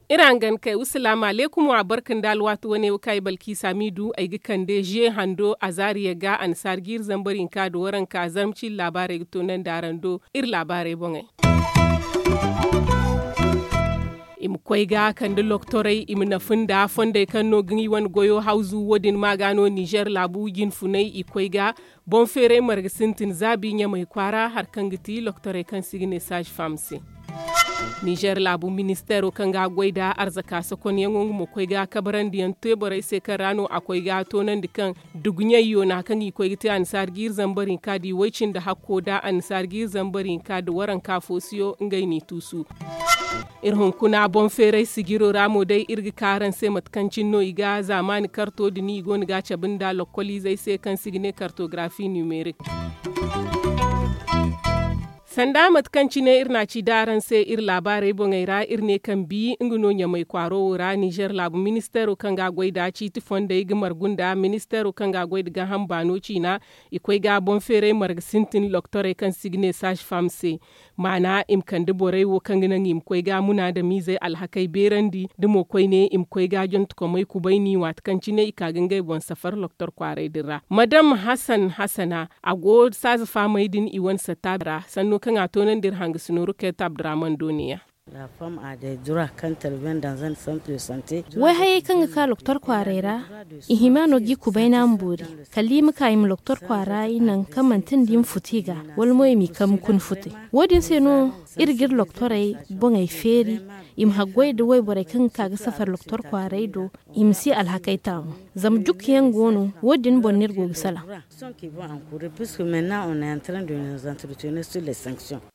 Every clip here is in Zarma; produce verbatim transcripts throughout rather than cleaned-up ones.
Iri hangan kay wa salaamu aleykum wa barka nda alwaati wane wo kaŋ ay balkiisa m'i du ay ga kande ze hando azaariya ga annasaari ga iri zambar hinka nda waranka zarma ciine laabaarey ga toonandi araŋ do. Iri laabaarey boŋey i ma koy ga kande loktorey i ma nafa nda fondey kaŋ no ga i wane goyo hawzu wo- din ma ga no ninzeer laabu jinfunay i koy ga boŋ feeray marga sintin zaabi ɲamay kwaara hari kaŋ ga ti loktorey kaŋ se i ga ne saazi fam se. Ninzeer laabu ministeero kaŋ ga a goy nda arzaka sokonyaŋo nga mo koy ga kabarandi yaŋ te borey se kaŋ ra no a koy ga toonandi kaŋ duguɲayyo na kaŋ i koy ga te annasaari ga iri zambar hinka nda i way cindi hakko nda annasaari ga iri zambar hinka nda waranka foosiyo ngey n'i tuusu. Iri hunkuna boŋ feeray sijiro ra mo day iri ga ka araŋ se mate kaŋ cine no i ga zaamaani karto din i go no ga a cabe nda lokkoliizey se kaŋ se i ga ne kartogarafi nimerik. Sanda mate kaŋ cine iri na a ci da araŋ se iri laabaarey boŋey ra iri ne kaŋ bi nga no ɲamay kwaaro wo ra ninzeer laabu ministeero kaŋ ga a goy nda ciiti fondey ga margu nda ministeero kaŋ ga a goy nda gaaham baano ciina i koy ga boŋ feeray marga sintin loktorey kaŋ se i ga ne saazi fam se. Maana i ma kande borey wo kaŋ ga naŋ i ma koy ga munaadamiizey alhakey beerandi da mo koyne i ma koy ga jontokomey kubayni waati kaŋ cine i ka ga ngey boŋ safar loktor kwaaray din ra madam hasan hasana a go saaza faamey din i wane satta ra sanno kaŋ a toonandi iri hangasino ruket abdurahman do ne- ya. Way hayey kaŋ ga ka loktor kwaaray ra i hima no ga i kubayna ma boori kala i ma ka i ma loktor kwaara i naŋ kaŋ manti nda i ma futu i ga wala mo i m'i kambe kuna futey. Wo- din se no iri ga iri loktorey boŋey feeri i ma haggoy nda wayborey kaŋ ga ka ga safar loktor kwaaray do i ma si alhakey taamu zama jukkuyaŋ go no wo- din boŋ no iri go ga salaŋ.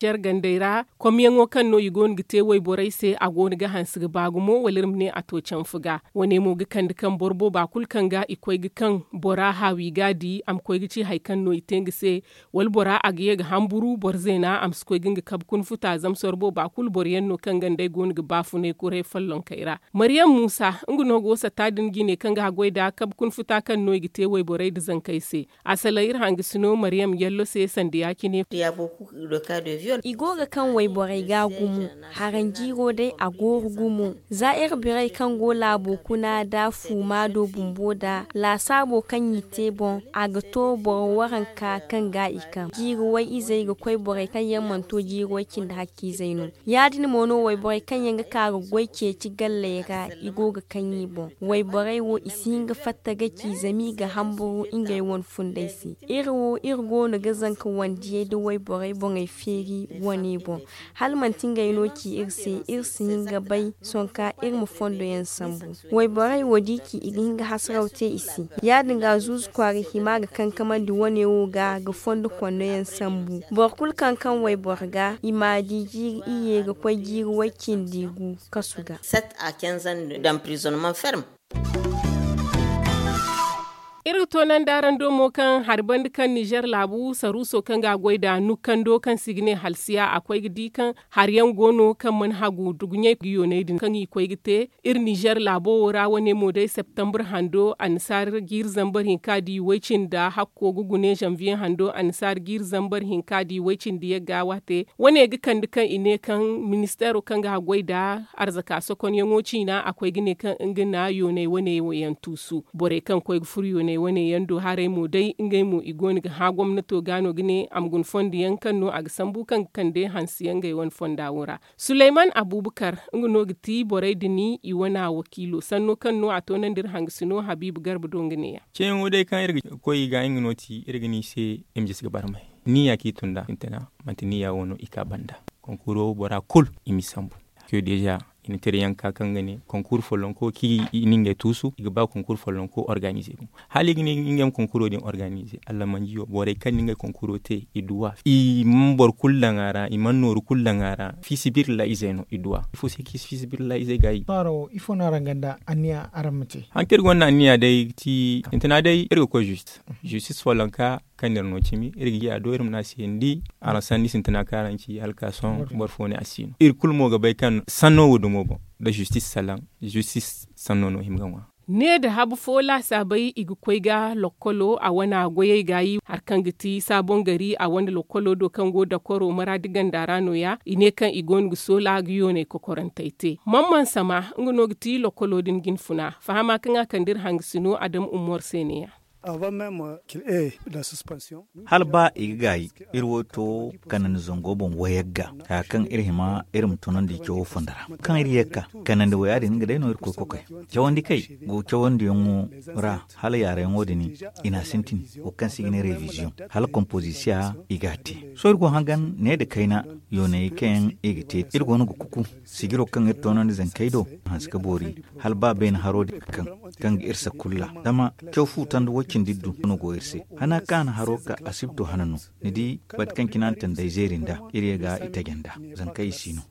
Jar gandey ra komyaŋo kaŋ no i go no ga te wayborey se a go no ga hanse ga ba gumo wala iri ma ne a to canfu ga wane mo ga kande kaŋ boro booba kulu kaŋ ga i koy ga kaŋ bora haawi ga di a ma koy ga ci hari kaŋ no i te nga se wala bora a ga ye ga hamburu boro zeena a ma si koy ga nga kabe kuna futa zama sorbo ba kulu boro yaŋ no kaŋ ga nd'ey go no ga baafunay kuray follonkey ra. Maryam muusa nga no go satta din jine kaŋ ga haggoy nda kabe kuna futa kaŋ no i ga te wayborey nda zankey se. A salaŋ iri hangasino maryam yallo se sanda ya- cine. I go ga kaŋ wayborey ga gumo. Haraŋ jiiro day a gooru gumo za iri birey kaŋ go laabo kuna nda fuuma do bumbo nda laasaabo kaŋ i te boŋ a ga to boro waranka kaŋ ga i kaŋ jiiri way-izey ga koy borey kaŋ yaŋ mana to jiiri way-cindi hakkiizey no. Ya- din mo no wayborey kaŋ yaŋ ga ka ga goy ceeci galley ra i go ga kaŋ i boŋ. Wayborey wo i si hin ga fatta ga ci zama i ga hamburu ngey wane fundey se. Iri wo iri go no ga zanka wandiyey nda wayborey boŋey feeri wane boŋ. Hala manti ngey no ci iri se iri si hin ga bay sohõ kaŋ iri ma fondo yaŋ sambu. Wayborey wo da i ci i ga hin ga hasaraw te i se. Ya- din ga zuuzu kwaara hima ga kankamandi wane wo ga ga fondo kondo yaŋ sambu boro kulu kaŋ kaŋ wayboro ga i m'a di jiiri iyye ga koy jiiri way-cindi gu kasu ga. Iri ga toonandi araŋ do mo kaŋ hari banda kaŋ nizer laabu saruuso kaŋ ga a goy nd'a nukkando kaŋ se i ga ne halsiya a koy ga di kaŋ hari yaŋ go no kaŋ mana hagu duguɲey ga yoonay din kaŋ i koy ga te. Iri nizer laabo wo ra wane mo day septembre hando annasaari jiiri zambar hinka da i way-cindi hakko ga gune zanviye hando annasaari jiiri zambar hinka da i way-cindi yagga waate. Wane ga kande kaŋ i ne kaŋ ministeero kaŋ ga a goy nd'a arzaka sokonyaŋo ciina a koy ga ne kaŋ nga na yoonay wane wo yaŋ tuusu. Borey kaŋ koy ga furo yoonay wane yaŋ do haray mo day ngey mo i go no ga hã gomnato ga no ga ne a ma guna fondo yaŋ kaŋ no a ga sambu kaŋ ga kande hanse yaŋ ngey wane fonda wo ra. Suleyman abubakar nga no ga ti borey din i wana wakiilo sanno kaŋ no a toonandi iri hangasino habiibu garba do nga ne- ya. Ceeyaŋo day kaŋ iri ga koy i ga nga no ti iri ga ne i se i ma jisi ga barmay. Niya kaŋ i tun nd'a sintina manti niya wo no i ka banda. Konkuro bora kulu i m'i sambu. Ke deeza i na tira yaŋ ka kaŋ ga ne konkur follonko kaŋ i na ngey tuusu i ga ba konkur follonko organize gumo. Hala i ga ne ngey ma konkuro din organize allamanji wo borey kaŋ na ngey konkuro te i duw'a i mana boro kulu daŋ a ra i mana nooru kulu daŋ a ra fiisabilillahi izey no i duw'a ifo se kaŋ i si fiisabilillahi izey gaayi. Sohõ araŋ wo ifo no araŋ gonda anniya araŋ ma te? Haŋ kaŋ iri gonda anniya day ga ti sintina day iri ga koy juste. Justis follonka kaŋ no iri no cimi iri ga ye a do iri ma ne a se ni di araŋ sanni sintina kaŋ araŋ ci hala ga ka sohõ boro fo ne a si no iri kulu mo ga bay kaŋ sanno wo dumo boŋ da justis salaŋ. Justis sanno no hima ga ŋwa. Ne nda habu fo laasaabey i ga koy ga lokkolo a wane goyey gaayi hari kaŋ ga ti saabon gari a wane lokkolo do kaŋ go dakoro maraadi ganda ra no- ya i ne kaŋ i go no ga soola ga yooney kokorantey te. Mamman sama nga no ga ti lokkolo din jinfuna fahama kaŋ a kande iri hangasino adam ummor se ne- ya. Hala ba i ga gaayi, iri wo to kanandi zango boŋ wayagga haya kaŋ iri hima iri ma tunandi cawo fondo ra. Kaŋ iri ye ga ka kanandi waya din nga day no iri koy kokay. Cawandi kay go cawandiyaŋo ra, hala yaarayaŋo din i n'a sintin wo kaŋ se i ga ne reviziyoŋ, hala komposisiya i g'a te. Sohõ iri go hangan ne nda kayna yooney kaŋ yaŋ i ga te iri go no ga kuku sijiro kaŋ iri toonandi zankey do hanse ka boori. Hala ba beene haro din kaŋ kaŋ ga iri sakulla zama caw fu tanda way-cindi iddu no go iri se. Hana kaŋ a na haro ka asibto hana no ni di. Bate kaŋ cine a na tandey zeeri nd'a iri ye ga i taje nd'a. Zankey i si no.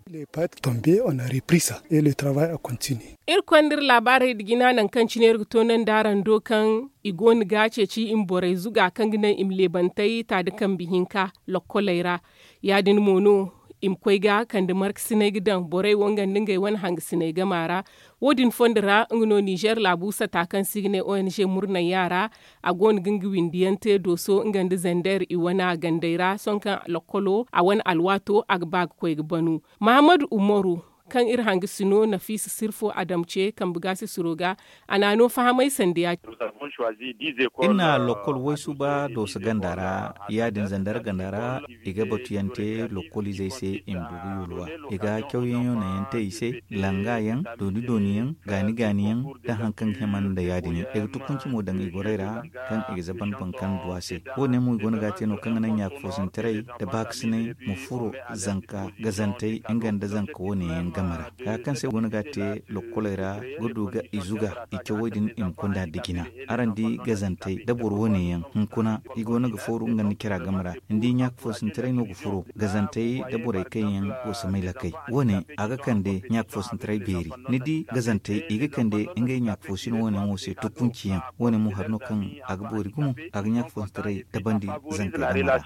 Iri konda iri laabaarey nda jina nangu kaŋ cine iri ga toonandi araŋ do kaŋ i go no ga ceeci i ma borey zuga kaŋ ga naŋ i ma leebantey ta nda kambe hinka lokkoley ra. Ya- din mo no i ma koy ga kande markasiney ga daŋ borey wo nga nda ngey wane hangasiney gama ra. Wo- din fondo ra nga no ninzeer laabu sata kaŋ se i ga ne ong murnayya ra. A go no ga nga windiyaŋ te dooso nga nda zander i wane gandey ra sohõ kaŋ lokkolo a wane alwaato a ga ba ga koy ga banu. Mahammadu umaru kaŋ iri hangasino nafiisa sirfo adam ce kambe gaasisiro ga. A n'a no fahamay sanda ya- cine. Iri na lokkol waysuba dooso ganda ra. Ya- din zander ganda ra i ga batuyaŋ te lokkol izey se i ma du ga yulwa. I ga cawyaŋ yoonayaŋ te i se, langa yaŋ, dooni dooni yaŋ, gaani gaani yaŋ, da hari kaŋ ga hima nda ya- din yaŋ i ga tukunci mo daŋ i gorey ra. Kaŋ i ga zaban boŋ kaŋ du a se. Wo- ne mo i go no ga a te no kaŋ ga naŋ ɲaaka foosintaray nda baakasinay ma furo zanka gazantey nga nda zanka wo- ne yaŋ game ra. Haya kaŋ se i go no ga a te lokkoley ra ga du ga i zuga i cawey din i ma konda nda jina. Araŋ di gazantey nda boro wo- ne yaŋ hunkuna i go no ga fooru nga nda cira game ra. Ni di ɲaaka foosintaray no ga furo gazantey nda borey kaŋ yaŋ go samay lakay. Wo- ne a ga kande ɲaaka foosintaray beeri. Ni di gazantey i ga kande ngey ɲaaka foosino wo- ne yaŋo se tukunciyaŋ. Wo- ne mo hari no kaŋ a ga boori gumo a ga ɲaaka foosintaray dabandi. Zankey game ra.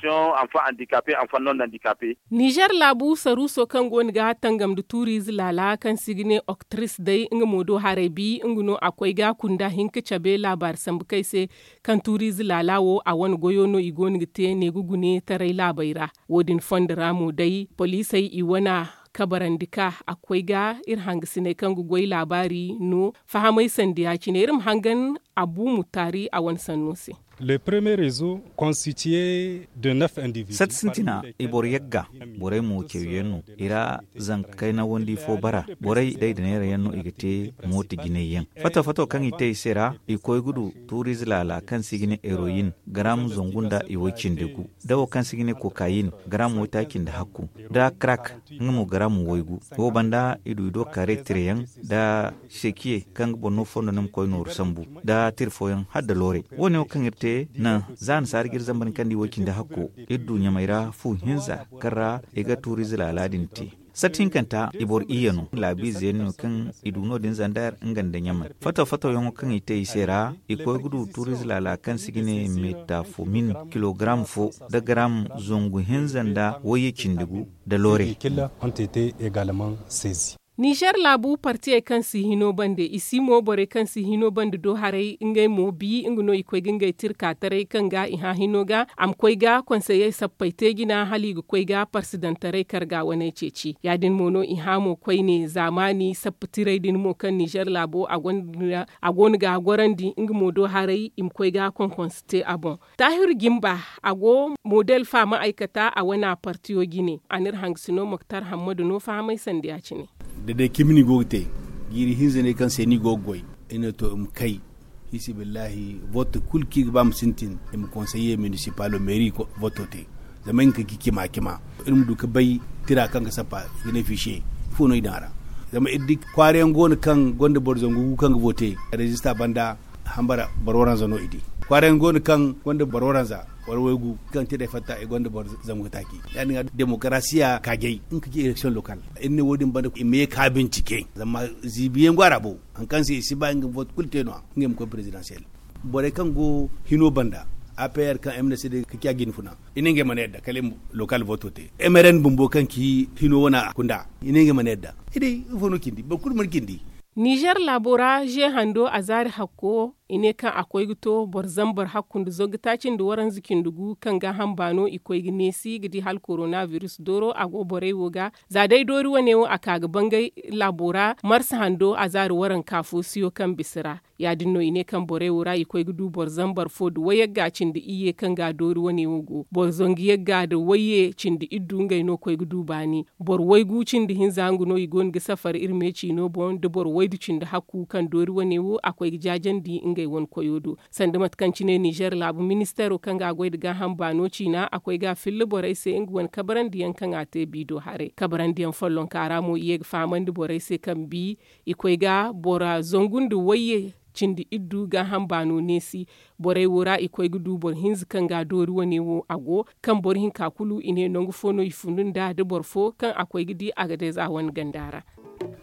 Nizer laabu saruuso kaŋ go no ga tangam nda tuuriize laala kaŋ se i ga ne oktris day nga mo do haray bi nga no a koy ga kunda hinka cabe laabaari sambu kay se. Kaŋ tuuriize laala wo a wane goyo no i go no ga te neegu gune taray laabey ra. Wo- din fondo ra mo day poliisey i wane kabarandi ka a koy ga iri hangasiney kaŋ ga goy laabaari no fahamay sanda ya- cine iri ma hangan abu mutaari a wane sanno se. Sati sintina i boro yagga borey mo cawyaŋ no i ra. Zanka kayna wandi fo bara borey day da neera yaŋ no i ga te mooti jinay yaŋ. Fato fato kaŋ i te i se ra i koy ga du tuuriize laala kaŋ se i ga ne eroyin garamu zangu nda i way cindi gu da wo kaŋ se i ga ne kokayin garamu waytaaci nda hakku nda krak nga mo garamu waygu. Wo banda i du i do kaare tirayaŋ nda sekiye kaŋ ga boro no fondo no ma koy nooru sambu nda tira fooyaŋ hala nda loorey. Wo- ne wo kaŋ iri te naŋ za nasaara ga iri zambar ni kaŋ nda i way cindi hakko iri du ɲamey ra fu hinza kaŋ ra i ga tuuriize laala din te. Sati hinkanta i boro iyye no laabiize yaŋ no kaŋ i du no- din zandar nga nda ɲamey fato fato yaŋo kaŋ i te i se ra. I koy ga du tuuriize laala kaŋ se i ga ne metafomin kilogaram fo nda garam zangu hinza nda wayye cindi gu nda loorey. Nizer laabu partiyey kaŋ si hino bande i si mo borey kaŋ si hino bande do haray ngey mo bi nga no i koy ga ngey tirka taray kaŋ ga i hã hino ga a ma koy ga konseyey sappey te jina hala i ga koy ga parsidantaray karga waney ceeci ya- din mo no i hã mo koyne zaamaani sappa tirey din mo kaŋ nizer laabo a gonda a go no ga a gorandi nga mo do haray i ma koy ga konkonse te a boŋ. Taahir jimba a go model faama ay kata a wane a partiyo jine a n'iri hangasino moktar hammadu no fahamay sanda ya- cine. Da day cimi no i go ga te jiiri hinza ne kaŋ se no i go ga goy i ne to i ma kay. Hisibillahi vote kulu kaŋ i ga ba ma sintin i ma konseye minisipalo meeri voto te. Zama i ga ka ga cima cima iri ma du ga bay tira kaŋ ga sappa i ga ne fiisiye ifo no i daŋ a ra. Zama iri di kwaara yaŋ go no kaŋ gonda boro zangu gu kaŋ ga vote rezista banda hambara boro waranza no i di. Kwaara yaŋ go no kaŋ gonda boro waranza wala waygu kaŋ te day fatta i gonda boro zangu ga taaci. Ya- din ga demokarasiya kaajay nga ka ci eleksion lokal. Iri ne wo- din banda i ma ye ka bincike zama ziibi yaŋ go a ra bo hari kaŋ se i si ba nga vote kulu te no- ya ngey ma koy prezidansiyel. Borey kaŋ go hino banda a p r kaŋ m n c d ka ci a jinfuna i ne ngey mana yadda kala i ma lokal voto te. M r n bumbo kaŋ ci hino wane a kunda i ne ngey mana yadda. I day ifo no cindi boro kulu mana cindi. Ninzeer laabo ra ze hando a zaari hakko i ne kaŋ a koy ga to boro zambar hakku nda zogga taaci nda waranza cindi gu kaŋ gaaham baano i koy ga neesi ga di hala korona biris dooro a go borey wo ga. Za day doori wane wo a ka ga bangay laabo ra marsa hando a zaari waranka fo siyo kaŋ bisa ra. Ya- din no i ne kaŋ borey wo ra i koy ga du boro zambar fo nda wayagga cindi iyye kaŋ ga doori wane wo go boro zangu yagga nda wayye cindi iddu ngey no koy ga du baani. Boro waygu cindi hinza nga no i go no ga safar iri me ciino boŋ nda boro waydu cindi hakku kaŋ doori wane wo a koy ga jaajandi ngey wane koyo do. Sanda mate kaŋ cine ninzeer laabu ministeero kaŋ ga a goy nda gaaham baano ciina a koy ga a filla borey se nga wane kabarandiyaŋ kaŋ a te biido haray kabarandiyaŋ follonka ra mo i ye ga fahamandi borey se kaŋ bi i koy ga bora zangu nda wayye cindi iddu gaaham baano neesi. Borey wo ra i koy ga du boro hinza kaŋ ga a doori wane wo a go kaŋ boro hinka kulu i ne nangu fo no i fundu nd'a da boro fo kaŋ a koy ga di a ga day za wane ganda ra.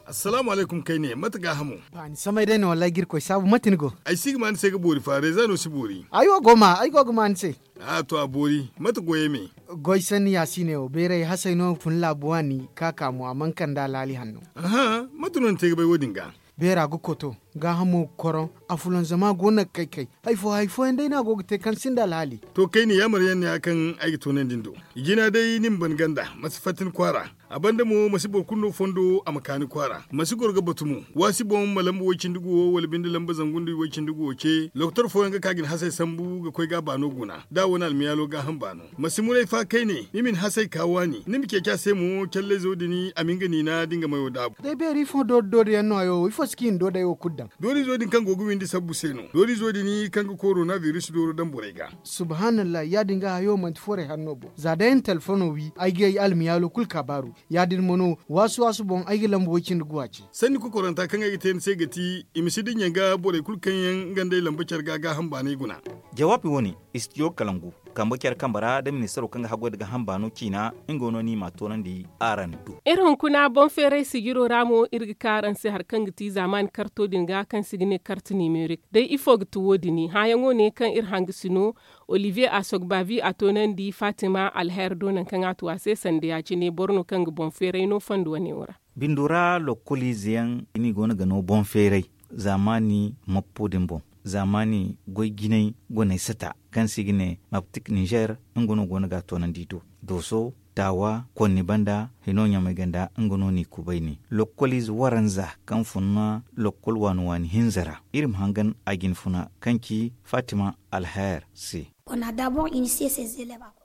Assalaamu alaykum kayne mate gaahamo? Ni samay day no wallaahi ga irkoy saabu mate ni go? Ay si ga ma ni se ga boori fa reeza no si boori. Ay wo go ma ay go ga ma ni se. A to a boori mate goyey me? Goy sanni ya si ne wo beeray hasey no fun laabu waani ka ka mo a mana kande alhaali hanno. Aha, mate no ni te ga bay wo- din ga? Beera ga koto gaahamo ga koroŋ. Afulanzama go no ga kay kay. Hari fo hari fooyaŋ day no a go ga te kaŋ sinda alhaali. To kayne yaamar yaŋ no ya kaŋ ay ga toonandi ni do. Jina day ni ma ban ganda ma si fatta ni kwaara. A banda mo ma si boro kulu no fondo a ma ka ni kwaara ma si goro ga batu mo. Waasi boŋ ma lamba way- cindi guwo wala binde lamba zangu nda way- cindi guwo ce lokotor fooyaŋ ga ka ga ni hasey sambu ga koy ga a baano guna da a wane almiyaalo gaaham baano. Ma si muray fa kayne ni ma ni hasey ka waani ni ma ceeci a se mo callayzo din a ma hin ga niina da nga mayo daabu. Day beeri ifo doori doori yaŋ no hayo wo ifo si kaŋ i na doodey wo kulu daŋ? Doorizo din kaŋ go ga windi sabbu se no doorizo din kaŋ ga korona biris dooro daŋ borey ga. Subhaanallahi ya- din ga hayo manti forey hanno boŋ za day ay na telefono wi ay ga ay almiyaalo kulu kaabaaru. Ya- din mo no waasu waasu boŋ ay ga lamba way- cindi guwa ce. Sanni kokoranta kaŋ ay ga te ni se ga ti i ma si dinya ga borey kulu kaŋ yaŋ nga nd'ey lamba care ga gaaham baanay guna. Jawaabi wo- ne, istijo kalangu kambe care kambe ra da ministaro kaŋ ga haggoy nda gaaham baano ciina nga no ni ma a toonandi. Araŋ do. Iri hunkuna boŋ feeray sijiro ra mo iri ga ka araŋ se hari kaŋ ga ti zaamaani karto din ga kaŋ se i ga ne karte nimerik day ifo ga ti wo- din hããyaŋo ne kaŋ iri hanga si no. Oliviye asogbavi a toonandi fatima alher do nangu kaŋ a tu a se sanda ya- cine boro no kaŋ ga boŋ feeray no fondo wane wo ra. Bindo ra lokkoliize yaŋ i go no ga no boŋ feeray zaamaani mappo din boŋ. Zaamaani goy jinay goney sata kaŋ se i ga ne maptik ninzeer nga no go no ga a toonandi do dooso taawa konni banda hino ɲamay ganda nga no n'i kubayni lokkoliize waranza kaŋ fun na lokkol waani waani hinza ra. Iri ma hangan a jinfuna kaŋ ci fatima alher se.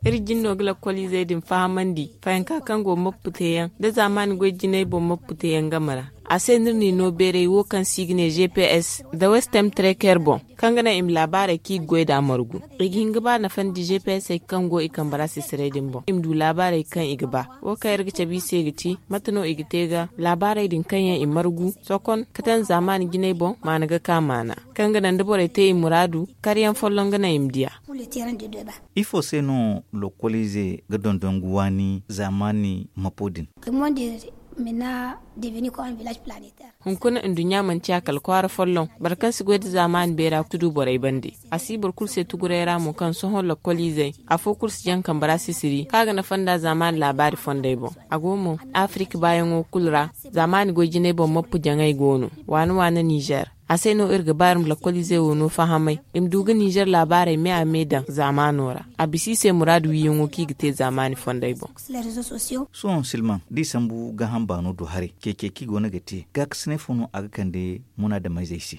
Iri jin no ga lakkoliizey din fahamandi fayanka kaŋ go mappu teeyaŋ da zaamaani goy jinay boŋ mappu teeyaŋ game ra. A se no iri n'i no beeray wo kaŋ se i ga ne gps nda westem treker boŋ kaŋ ga naŋ i ma laabaarey kaŋ i ga goy nd'a margu. I ga hin ga ba nafandi gpsey kaŋ go i kambe ra sisiray din boŋ i ma du laabaarey kaŋ i ga ba. Wo kaŋ iri ga cabe i se ga ti mate no i ga te ga laabaarey din kaŋ yaŋ i margu sokon ka taŋ zaamaani jinay boŋ maana ga ka maana kaŋ ga naŋ da borey te i muraadu. Karyaŋ folloŋ ga naŋ i ma diya. Ifo se no lokkoliize ga dondongu waani zaamaani mapo din? Hunkuna nduɲɲa manti ya kala kwaara folloŋ. Boro kaŋ si goy nda zaamaani beera ga tudu borey bande. A si boro kulu se tuguray ra mo kaŋ sohõ lokkoliizey afo kulu si jaŋ kambe ra sisiri kaŋ a ga nafa nda zaamaani laabaari fondey boŋ. A go mo afirik baayaŋo kulu ra zaamaani goy jinay boŋ mappu jaŋay go no waane waane ninzeer. A se no iri ga ba iri ma lakkoliizey wo no fahamay i ma du ga ninzeer laabaarey me a me daŋ zaamaano ra. A bisa i se muraadu wiiyaŋo kaŋ i ga te zaamaani fondey boŋ. Sohõ silmaŋ da i sambu gaaham baano do haray ceece kaŋ i go no ga te gaakasinay fo no a ga kande munaadameyzey se?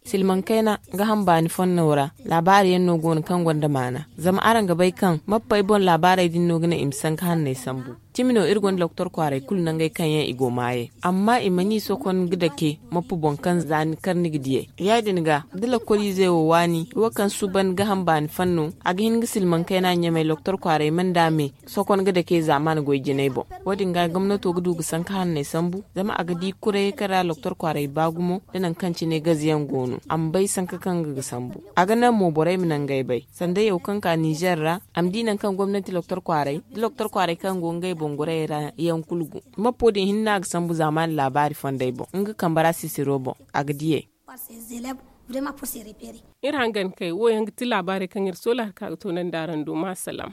Silmaŋ kayna gaaham baani fonno ra laabaari yaŋ no go no kaŋ gonda maana. Zama araŋ ga bay kaŋ mappey boŋ laabaarey din no ga naŋ i ma sanka hanney sambu. Cimi no iri gonda lokotor kwaaray kulu nangey kaŋ yaŋ i go maayey amma i mana i sokon ga dake mappu boŋ kaŋ za ni kar ni ga diyey. Ya- din ga da lakkoliizey wo waani wo kaŋ suuban gaaham baani fanno a ga hin ga silmaŋ kayna ɲamey lokotor kwaaray mana da me sokon ga dake zaamaani goy jinay boŋ. Wo- din ga gomnato ga du ga sanka hanney sambu zama a ga di kurayey kaŋ ra lokotor kwaaray ba gumo da nangu kaŋ cine gaze yaŋ go no a ma bay sanka kaŋ ga ga sambu. A ga naŋ mo borey ma nangey bay sanda yaw kaŋ ka ninzeer ra a ma di nangu kaŋ gomnati lokotor kwaaray da lokotor kwaaray kaŋ go ngey boŋ gorayey ra yaŋ kulu go. Mappo din hinne a ga sambu zaamaani laabaari fondey boŋ nga kambe ra sisiro boŋ a ga diyey. Iri hangan kay wo yaŋ ga ti laabaarey kaŋ iri soola hari kaŋ a ga toonandi araŋ do ma salaam.